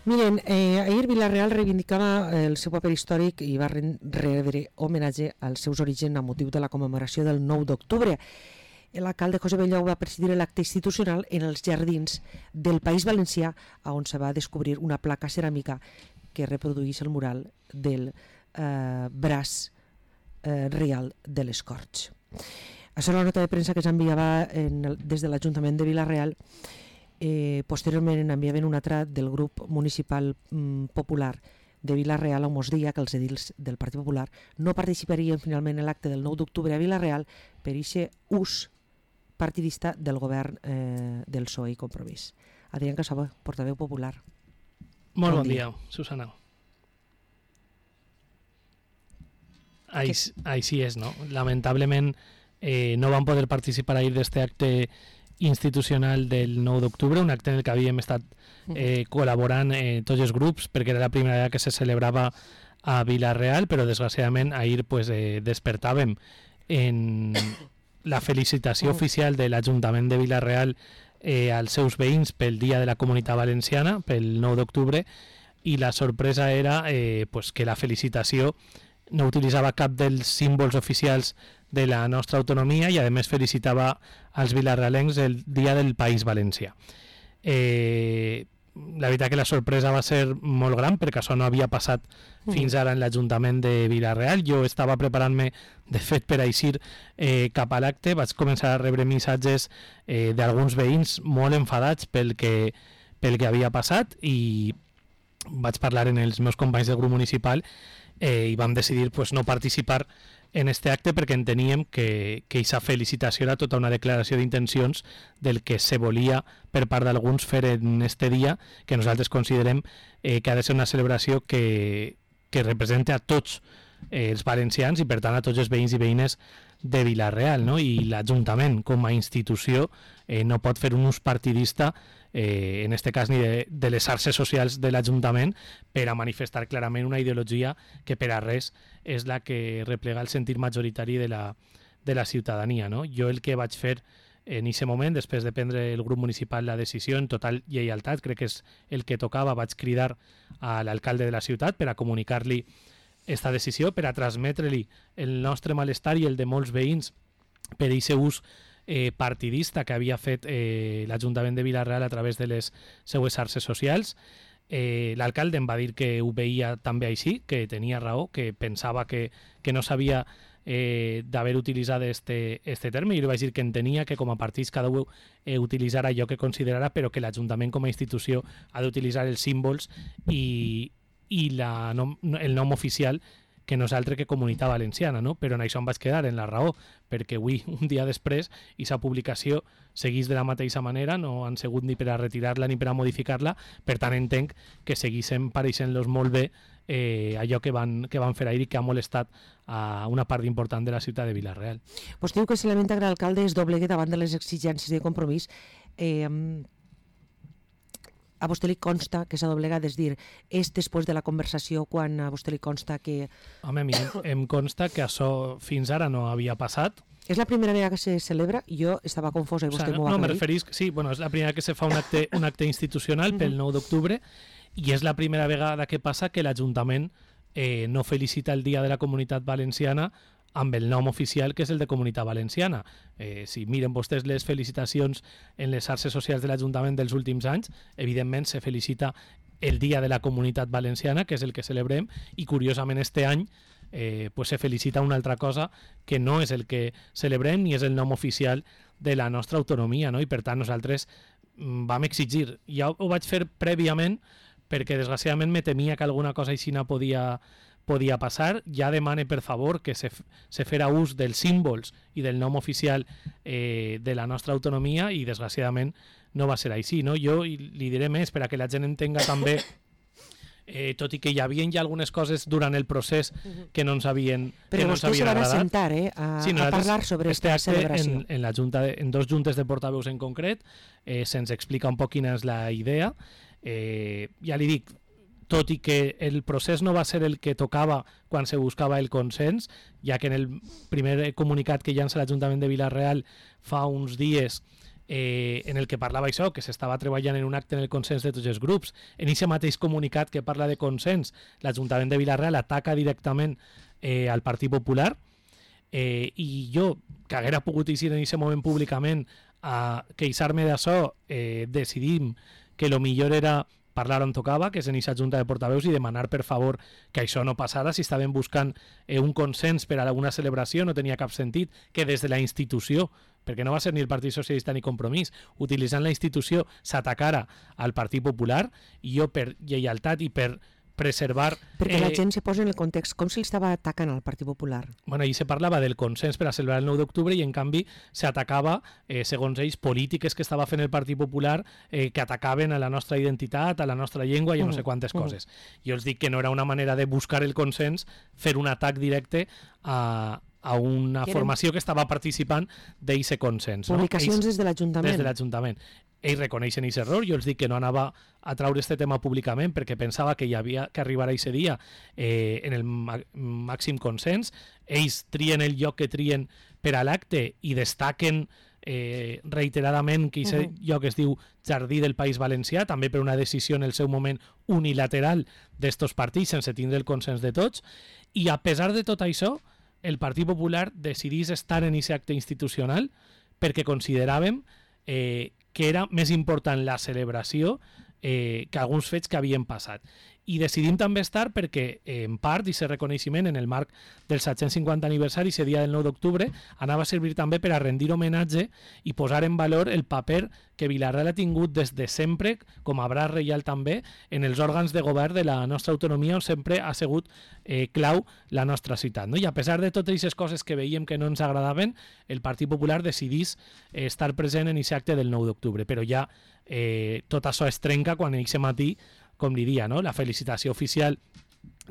Miren, ahir Vila-real reivindicava el seu paper històric i va rebre homenatge als seus orígens a motiu de la commemoració del 9 d'octubre. L'alcalde José Bellau va presidir l'acte institucional en els jardins del País Valencià, on se va descobrir una placa ceràmica que reprodueix el mural del braç real de les Corts. Això és la nota de premsa que s'enviava des de l'Ajuntament de Vila-real. Posteriorment enviaven una altra del grup municipal popular de Vila-real a Mosdia, que els edils del Partit Popular no participarien finalment en l'acte del 9 d'octubre a Vila-real per aquest ús partidista del govern del PSOE i Compromís. Adrián Casaba, portaveu popular. Molt bon dia, Susana. Així és, no? Lamentablement no van poder participar ahir d'este acte institucional del 9 d'octubre, un acte en el que havíem estat col·laborant tots els grups, perquè era la primera vegada que se celebrava a Vila-real, però desgraciadament ahir despertàvem en la felicitació oficial de l'Ajuntament de Vila-real als seus veïns pel Dia de la Comunitat Valenciana, pel 9 d'octubre, i la sorpresa era que la felicitació no utilitzava cap dels símbols oficials de la nostra autonomia i a més felicitava als vilarealencs el Dia del País Valencià. La veritat que la sorpresa va ser molt gran perquè això no havia passat fins ara en l'Ajuntament de Vila-real. Jo estava preparant-me de fet per eixir cap a l'acte, vaig començar a rebre missatges d'alguns veïns molt enfadats pel que havia passat i vaig parlar amb els meus companys del grup municipal i vam decidir no participar en este acte perquè enteníem que aquesta felicitació era tota una declaració d'intencions del que se volia per part d'alguns fer en este dia, que nosaltres considerem que ha de ser una celebració que represente a tots els valencians i per tant a tots els veïns i veïnes de Vila-real, no? I l'Ajuntament com a institució no pot fer un ús partidista en este cas ni de les xarxes socials de l'Ajuntament per a manifestar clarament una ideologia que per a res és la que replega el sentit majoritari de la ciutadania, no? Jo el que vaig fer en aquest moment, després de prendre el grup municipal la decisió en total lleialtat, crec que és el que tocava, vaig cridar a l'alcalde de la ciutat per a comunicar-li esta decisió, per a transmetre-li el nostre malestar i el de molts veïns per aquest ús partidista que havia fet l'Ajuntament de Vila-real a través de les seues xarxes socials. L'alcalde em va dir que ho veia també així, que tenia raó, que pensava que no s'havia d'haver utilitzat este terme, i li vaig dir que entenia que com a partits cada un utilitzara allò que considerara, però que l'Ajuntament com a institució ha d'utilitzar els símbols i el nom oficial que nosaltres que Comunitat Valenciana, no? Però en això em vaig quedar en la raó, perquè avui, un dia després, aquesta publicació seguís de la mateixa manera, no han sigut ni per a retirar-la ni per a modificar-la, per tant entenc que seguissem pareixent-los molt bé allò que van fer ahir i que ha molestat a una part important de la ciutat de Vila-real. Pues diu que si lamenta que l'alcalde es doblegui davant de les exigències de Compromís. A vostè li consta que s'ha doblegat, és dir, és després de la conversació quan a vostè li consta que... Home, a mi em consta que això fins ara no havia passat. És la primera vegada que se celebra? Jo estava confosa i vostè m'ho va aclarir. No, me referís... Sí, bueno, és la primera que se fa un acte institucional pel 9 d'octubre i és la primera vegada que passa que l'Ajuntament no felicita el Dia de la Comunitat Valenciana amb el nom oficial que és el de Comunitat Valenciana. Si miren vostès les felicitacions en les xarxes socials de l'Ajuntament dels últims anys, evidentment se felicita el Dia de la Comunitat Valenciana, que és el que celebrem, i curiosament este any se felicita una altra cosa que no és el que celebrem ni és el nom oficial de la nostra autonomia, no? I per tant nosaltres vam exigir, ja ho vaig fer prèviament perquè desgraciadament me temia que alguna cosa així no podia passar. Ja demane per favor que se fera ús dels símbols i del nom oficial de la nostra autonomia i desgraciadament no va ser així, no? Jo li diré més per a que la gent entenga també tot i que hi havia ja algunes coses durant el procés que no ens havien agradat. Però vostès se van assentar a parlar sobre aquesta celebració. En la junta en dos juntes de portaveus en concret se'ns explica un poc quina és la idea. Ja li dic, tot i que el procés no va ser el que tocava quan se buscava el consens, ja que en el primer comunicat que llança l'Ajuntament de Vila-real fa uns dies en el que parlava això, que s'estava treballant en un acte en el consens de tots els grups. En aquest mateix comunicat que parla de consens, l'Ajuntament de Vila-real ataca directament al Partit Popular, i jo, que haguera pogut eixir en aquest moment públicament a queixar-me d'això, decidim que el millor era parlar on tocava, que és en aquesta junta de portaveus, i demanar per favor que això no passara. Si estaven buscant un consens per a alguna celebració, no tenia cap sentit que des de la institució, perquè no va ser ni el Partit Socialista ni Compromís, utilitzant la institució s'atacara al Partit Popular, i jo per lleialtat i per preservar... Perquè la gent se posa en el context com si l'estava atacant al Partit Popular. Bueno, ahir se parlava del consens per a celebrar el 9 d'octubre i en canvi s'atacava, segons ells, polítiques que estava fent el Partit Popular que atacaven a la nostra identitat, a la nostra llengua i a no sé quantes coses. Jo els dic que no era una manera de buscar el consens fer un atac directe a una formació que estava participant d'aquest consens. Publicacions des de l'Ajuntament. Des de l'Ajuntament. Ells reconeixen aquest error. Jo els dic que no anava a traure este tema públicament perquè pensava que hi havia que arribar a aquest dia en el màxim consens. Ells trien el lloc que trien per a l'acte i destaquen reiteradament que aquest lloc es diu Jardí del País Valencià, també per una decisió en el seu moment unilateral d'estos partits sense tindre el consens de tots. I a pesar de tot això, el Partit Popular decidís estar en aquest acte institucional perquè consideràvem que era més important la celebració que alguns fets que havien passat. I decidim també estar perquè, en part, aquest reconeixement en el marc del 750 aniversari, aquest dia del 9 d'octubre, anava a servir també per a rendir homenatge i posar en valor el paper que Vila-real ha tingut des de sempre, com a braç reial també, en els òrgans de govern de la nostra autonomia, on sempre ha sigut clau la nostra ciutat. No? I a pesar de totes aquestes coses que veiem que no ens agradaven, el Partit Popular decidís estar present en aquest acte del 9 d'octubre. Però ja tot això es trenca quan aquest matí, com li dia, no? La felicitació oficial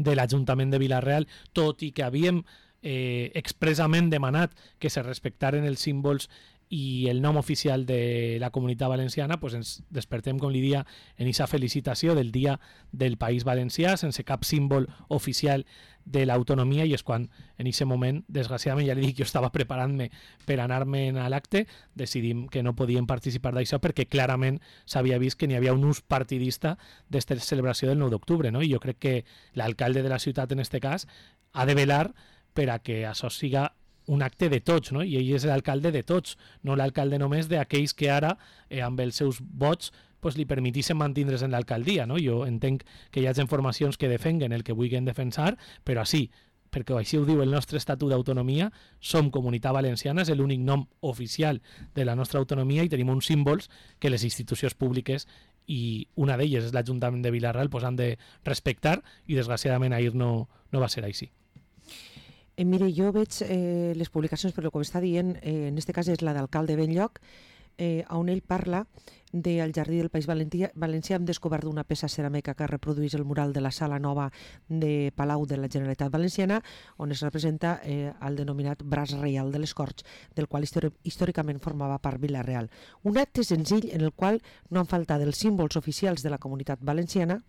de l'Ajuntament de Vila-real, tot i que havíem expressament demanat que se respectaren els símbols i el nom oficial de la Comunitat Valenciana, pues ens despertem, com li dia, en aquesta felicitació del Dia del País Valencià, sense cap símbol oficial de l'autonomia, i és quan en aquest moment, desgraciadament, ja li dic, jo estava preparant-me per anar-me'n a l'acte, decidim que no podíem participar d'això perquè clarament s'havia vist que n'hi havia un ús partidista d'esta celebració del 9 d'octubre, no? I jo crec que l'alcalde de la ciutat, en aquest cas, ha de velar per a que això siga un acte de tots, no? I ell és l'alcalde de tots, no l'alcalde només d'aquells que ara, amb els seus vots, pues, li permetissin mantindre's en l'alcaldia, no? Jo entenc que hi ha formacions que defenguen el que vulguin defensar, però així, perquè així ho diu el nostre Estatut d'Autonomia, som Comunitat Valenciana, és l'únic nom oficial de la nostra autonomia i tenim uns símbols que les institucions públiques, i una d'elles és l'Ajuntament de Vila-real, pues, han de respectar, i desgraciadament ahir no va ser així. Mire, jo veig les publicacions, però com està dient, en aquest cas és la d'alcalde Benlloc, on ell parla del Jardí del País Valencià. Hem descobert una peça ceràmica que reprodueix el mural de la Sala Nova de Palau de la Generalitat Valenciana, on es representa el denominat braç reial de les Corts, del qual històricament formava part Vila-real. Un acte senzill en el qual no han faltat els símbols oficials de la Comunitat Valenciana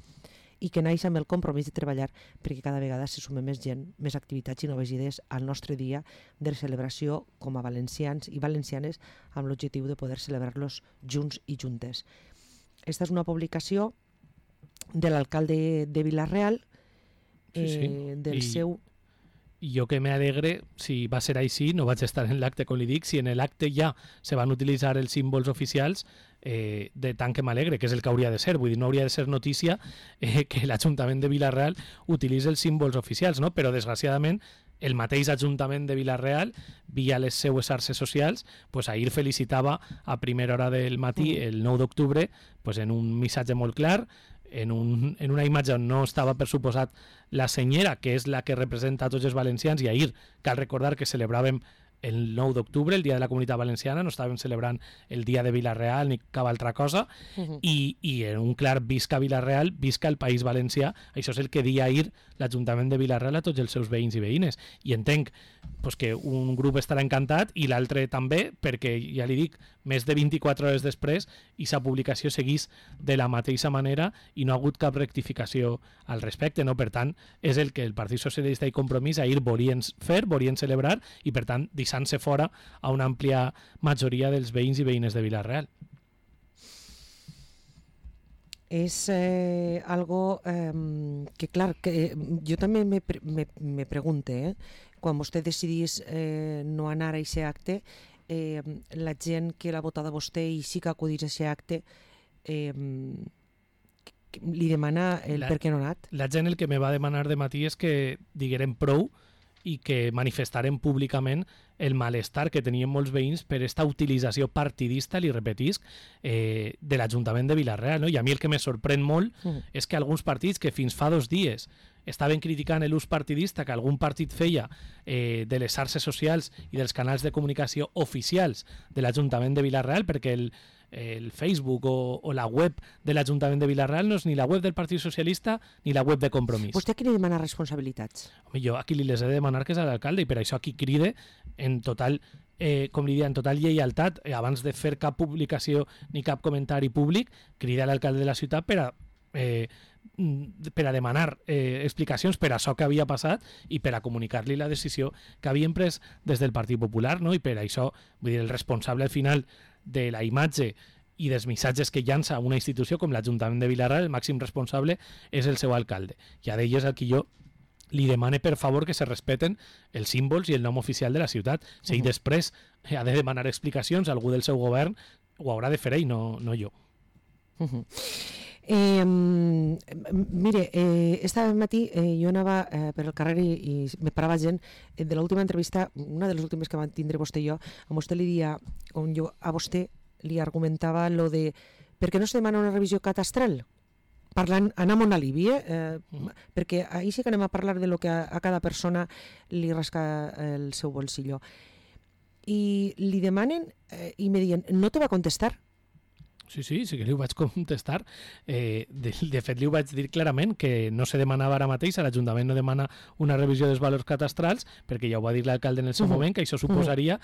i que naix amb el compromís de treballar perquè cada vegada se sume més gent, més activitats i noves idees al nostre dia de celebració com a valencians i valencianes, amb l'objectiu de poder celebrar-los junts i juntes. Esta és una publicació de l'alcalde de Vila-real, del seu... I jo que m'alegre, si va ser així, no vaig estar en l'acte, com li dic, si en l'acte ja se van utilitzar els símbols oficials, de tant que m'alegre, que és el que hauria de ser. Vull dir, no hauria de ser notícia que l'Ajuntament de Vila-real utilitzi els símbols oficials, no? Però desgraciadament el mateix Ajuntament de Vila-real, via les seues xarxes socials, pues, ahir felicitava a primera hora del matí, el 9 d'octubre, pues, en un missatge molt clar, en una imatge on no estava, per suposat, la senyera, que és la que representa a tots els valencians, i ahir cal recordar que celebràvem el 9 d'octubre, el dia de la Comunitat Valenciana, no estàvem celebrant el dia de Vila-real ni cap altra cosa, i en un clar visca Vila-real, visca el País Valencià. Això és el que dia ahir l'Ajuntament de Vila-real a tots els seus veïns i veïnes, i entenc pues, que un grup estarà encantat i l'altre també, perquè ja li dic, més de 24 hores després aquesta publicació seguís de la mateixa manera i no ha hagut cap rectificació al respecte, no? Per tant, és el que el Partit Socialista i Compromís ahir volien fer, volien celebrar, i per tant deixant-se fora a una àmplia majoria dels veïns i veïnes de Vila-real. És algo que, clar, que jo també me pregunte, quan vostè decidís no anar a aquest acte, la gent que l'ha votat a vostè i sí que acudís a aquest acte, li demana el per què no ha anat? La gent el que me va demanar de matí és que diguérem prou i que manifestarem públicament el malestar que tenien molts veïns per aquesta utilització partidista, li repetisc, de l'Ajuntament de Vila-real. No? I a mi el que me sorprèn molt és que alguns partits que fins fa 2 dies estaven criticant l'ús partidista que algun partit feia de les xarxes socials i dels canals de comunicació oficials de l'Ajuntament de Vila-real, perquè el Facebook o la web de l'Ajuntament de Vila-real no és ni la web del Partit Socialista ni la web de Compromís. Vostè a qui li demana responsabilitats? Home, jo aquí li les he de demanar que és a l'alcalde i per això aquí cride en total, com li diria, en total lleialtat, abans de fer cap publicació ni cap comentari públic, crida a l'alcalde de la ciutat per a demanar explicacions per a això que havia passat i per a comunicar-li la decisió que havien pres des del Partit Popular, no? I per això, vull dir, el responsable al final de la imatge i dels missatges que llança una institució com l'Ajuntament de Vila-real, el màxim responsable és el seu alcalde. I a d'elles el que jo li demane per favor que se respeten els símbols i el nom oficial de la ciutat. Si ell després ha de demanar explicacions a algú del seu govern, ho haurà de fer ell, no jo. Mire, este matí jo anava per el carrer i me parava gent de l'última entrevista, una de les últimes que van tindre vostè i jo, on vostè li dia, on jo a vostè li argumentava lo de per què no se demana una revisió catastral? Parlant, anem a un alivi, perquè ahir sí que anem a parlar de lo que a cada persona li rasca el seu bolsillo. I li demanen i me diuen, no te va contestar. Sí que li ho vaig contestar. De fet, li ho vaig dir clarament que no se demanava ara mateix, l'Ajuntament no demana una revisió dels valors catastrals, perquè ja ho va dir l'alcalde en el seu moment, que això suposaria...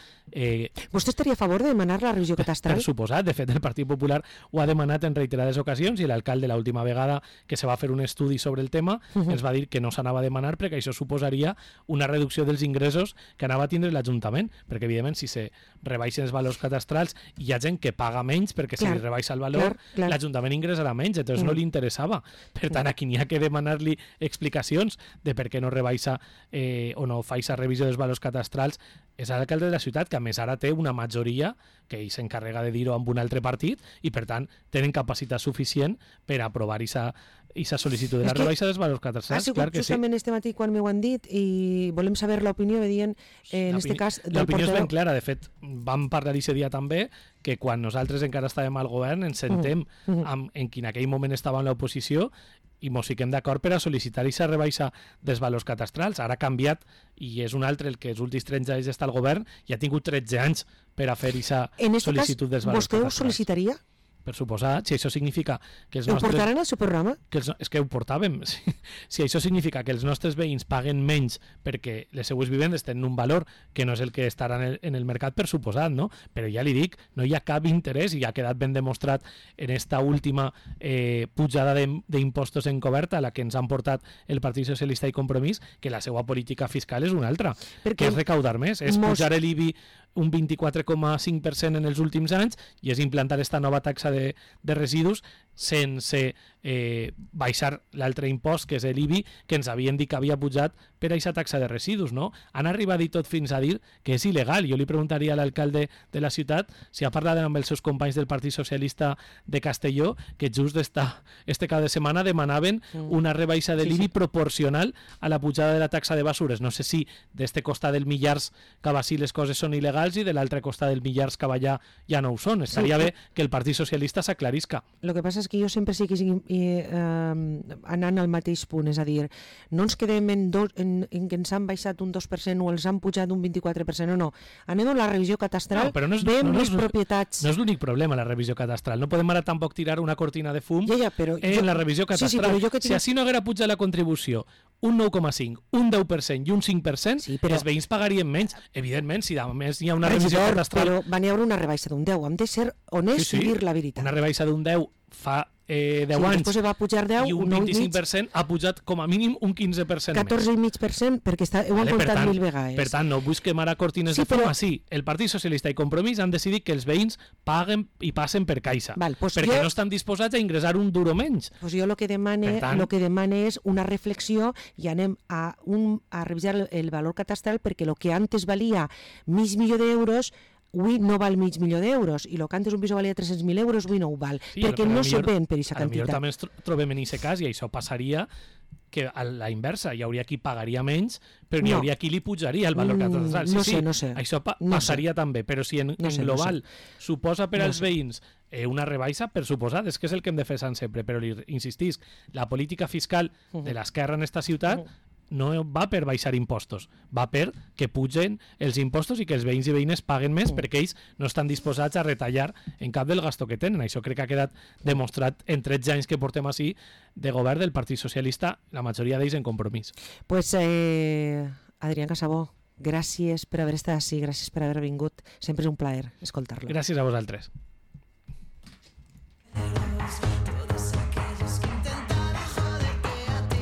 Vostè estaria a favor de demanar la revisió catastral? Per suposat. De fet, el Partit Popular ho ha demanat en reiterades ocasions i l'alcalde, l'última vegada que se va fer un estudi sobre el tema, ens va dir que no s'anava a demanar perquè això suposaria una reducció dels ingressos que anava a tindre l'Ajuntament, perquè, evidentment, si se rebaixen els valors catastrals, hi ha gent que paga menys perquè se li rebaixa el valor, l'Ajuntament ingressarà menys, entonces no li interessava. Per tant, aquí n'hi ha que demanar-li explicacions de per què no rebaixa o no fa aquesta revisió dels valors catastrals. És l'alcalde de la ciutat, que a més ara té una majoria que ell s'encarrega de dir-ho amb un altre partit i per tant tenen capacitat suficient per aprovar aquesta sol·licitud de la rebaixa dels valors catastrals. Ha sigut justament este matí quan m'ho han dit i volem saber l'opinió, veient en este cas del l'opinió portaveu. és ben clara. De fet, vam parlar aquest dia també que quan nosaltres encara estàvem al govern ens sentem en qui en aquell moment estava en l'oposició i mos fiquem d'acord per a sol·licitar aquesta rebaixa dels valors catastrals. Ara ha canviat i és un altre el que els últims 13 anys està al govern i ha tingut 13 anys per a fer aquesta sol·licitud dels valors catastrals. Vostè ho sol·licitaria? Per suposat, si això significa que els nostres... nostres... Ho portaran al seu programa? És que ho portàvem. Si això significa que els nostres veïns paguen menys perquè les seues vivendes tenen un valor que no és el que estarà en el mercat, per suposat, no? Però ja li dic, no hi ha cap interès i ha quedat ben demostrat en esta última pujada d'impostos encoberta a la que ens han portat el Partit Socialista i Compromís, que la seva política fiscal és una altra, que és recaudar més, és pujar l'IBI un 24,5% en els últims anys i és implantar esta nova taxa de residus sense baixar l'altre impost, que és l'IBI, que ens havien dit que havia pujat per a aquesta taxa de residus, no? Han arribat i tot fins a dir que és il·legal. Jo li preguntaria a l'alcalde de la ciutat si ha parlat amb els seus companys del Partit Socialista de Castelló, que just este cap de setmana demanaven una rebaixa de l'IBI proporcional a la pujada de la taxa de basures. No sé si d'este costat del Millars cap així les coses són il·legals i de l'altre costat del Millars cap allà ja no ho són. Estaria bé que el Partit Socialista s'aclarisca. Lo que passa és que jo sempre sí que anant al mateix punt, és a dir, no ens quedem en que ens han baixat un 2% o els han pujat un 24% o no. Anem a la revisió catastral, veiem les propietats. No és l'únic problema, la revisió catastral. No podem ara tampoc tirar una cortina de fum en la revisió catastral. Si així no haguera pujat la contribució un 9,5, un 10% i un 5%, els veïns pagarien menys. Evidentment, si a més hi ha una revisió catastral... Però va haver una rebaixa d'un 10. Hem de ser honests i dir la veritat. Una rebaixa d'un 10 fa 10 anys després va pujar 10, i un 25% ha pujat com a mínim un 15% 14,5% perquè ho han comptat 1000 vegades. Per tant, no busquem ara cortines de fum. Sí, el Partit Socialista i Compromís han decidit que els veïns paguen i passen per caixa, perquè no estan disposats a ingressar un duro menys. Pues jo el que demane és una reflexió i anem a revisar el valor catastral, perquè el que antes valia mig milió d'euros avui no val mig milió d'euros, i el que antes un pis valia 300.000 euros avui no ho val, perquè no se ven per aquesta quantitat. També ens trobem en aquest cas, i això passaria que a la inversa, hi hauria qui pagaria menys, però n'hi hauria qui li pujaria el valor catastral. No sé. Això passaria també, però si en global suposa per als veïns una rebaixa, per suposat, és que és el que hem de fer sempre, però insistisc, la política fiscal de l'esquerra en esta ciutat no va per baixar impostos, va per que pugen els impostos i que els veïns i veïnes paguen més, perquè ells no estan disposats a retallar en cap del gasto que tenen. Això crec que ha quedat demostrat en 13 anys que portem així de govern del Partit Socialista, la majoria d'ells en Compromís. Pues Adrián Casabó, gràcies per haver estat així, gràcies per haver vingut, sempre és un plaer escoltar-lo. Gràcies a vosaltres.